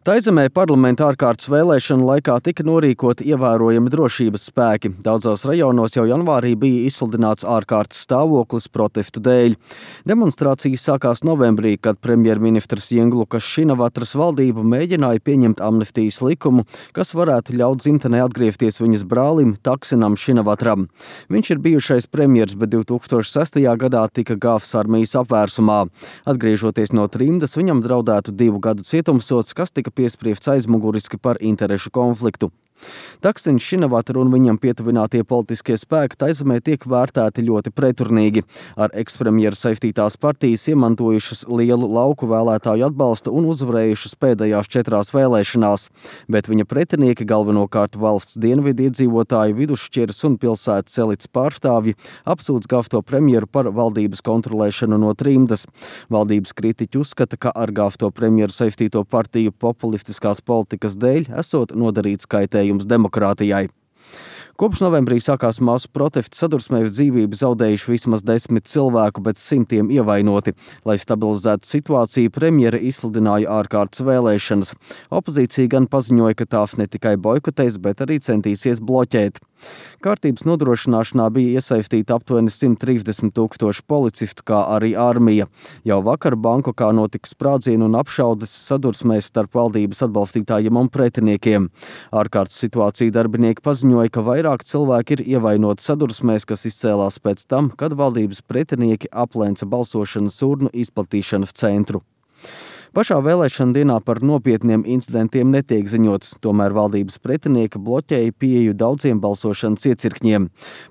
Taizemē parlamenta ārkārtas vēlēšanu laikā tika norīkoti ievērojami drošības spēki. Daudzos rajonos jau janvārī bija izsludināts ārkārtas stāvoklis protestu dēļ. Demonstrācijas sākās novembrī, kad premjerministrs Jenglukas Šinavatras valdība mēģināja pieņemt amnestijas likumu, kas varētu ļaut dzimtenē atgriezties viņas brālim Taksinam Šinavatram. Viņš ir bijušais premjers, bet 2006. gadā tika gāvs armijas apvērsumā. Atgriežoties no trimdas, viņam draudētu 2 gadu cietumsods, kas tika piespriests aizmuguriski par interešu konfliktu. Taksins Šinavatra un viņam pietuvinātie politiskie spēki Taizemē tiek vērtēti ļoti preturnīgi. Ar ekspremjeru saistītās partijas iemantojušas lielu lauku vēlētāju atbalstu un uzvarējušas pēdējās 4 vēlēšanās, bet viņa pretinieki, galvenokārt valsts dienvidu iedzīvotāju, vidusšķiras un pilsētas elites pārstāvji, apsūdz gāvto premjeru par valdības kontrolēšanu no trimdas. Valdības kritiķi uzskata, ka ar gāvto premjeru saistīto partiju populistiskās politikas dēļ esot nodarīts kaitējums demokrātijai. Kopš novembrī sākās masu protesti, sadursmē dzīvību zaudējuši vismaz 10 cilvēku, bet simtiem ievainoti. Lai stabilizētu situāciju, premjere izsludināja ārkārtas vēlēšanas. Opozīcija gan paziņoja, ka tās ne tikai boikotēs, bet arī centīsies bloķēt. Kārtības nodrošināšanā bija iesaistīta aptuveni 130 000 policistu, kā arī armija. Jau vakar Bankokā notika sprādzienu un apšaudes sadursmēs starp valdības atbalstītājiem un pretiniekiem. Ārkārtas situācija darbinieki paziņoja, ka vairāk cilvēki ir ievainoti sadursmēs, kas izcēlās pēc tam, kad valdības pretinieki aplenca balsošanas urnu izplatīšanas centru. Pašā vēlēšana dienā par nopietniem incidentiem netiek ziņots, tomēr valdības pretinieki bloķēja pieeju daudziem balsošanas iecirkņiem.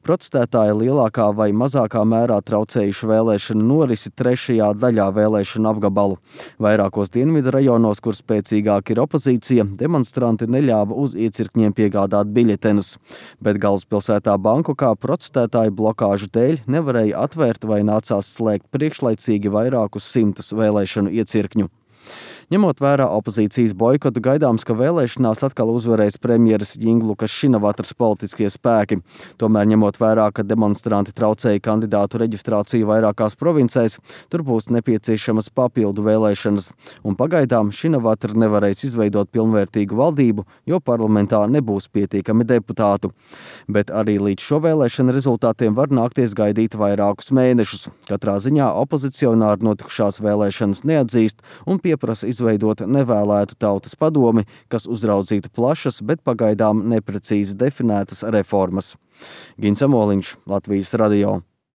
Protestētāji lielākā vai mazākā mērā traucējuši vēlēšanu norisi 3. daļā vēlēšanu apgabalu. Vairākos dienvidu rajonos, kur spēcīgāk ir opozīcija, demonstranti neļāva uz iecirkņiem piegādāt biļetenus. Bet galvaspilsētā Bankokā protestētāju blokāžu dēļ nevarēja atvērt vai nācās slēgt priekšlaicīgi vairākus 100 vēlēšanu iecirkņu. Ņemot vērā opozīcijas boikotu, gaidāms, ka vēlēšanās atkal uzvarēs premjeras Jenglukas Šinavatras politiskie spēki. Tomēr, ņemot vērā, ka demonstranti traucēja kandidātu reģistrāciju vairākās provincēs, tur būs nepieciešamas papildu vēlēšanas. Un pagaidām Šinavatra nevarēs izveidot pilnvērtīgu valdību, jo parlamentā nebūs pietiekami deputātu. Bet arī līdz šo vēlēšanu rezultātiem var nākties gaidīt vairākus mēnešus. Katrā ziņā opozicionāri notikušās vēlēšanas neatzīst un pieprasa izveidot nevēlētu tautas padomi, kas uzraudzītu plašas, bet pagaidām neprecīzi definētas reformas. Gins Amoliņš, Latvijas radio.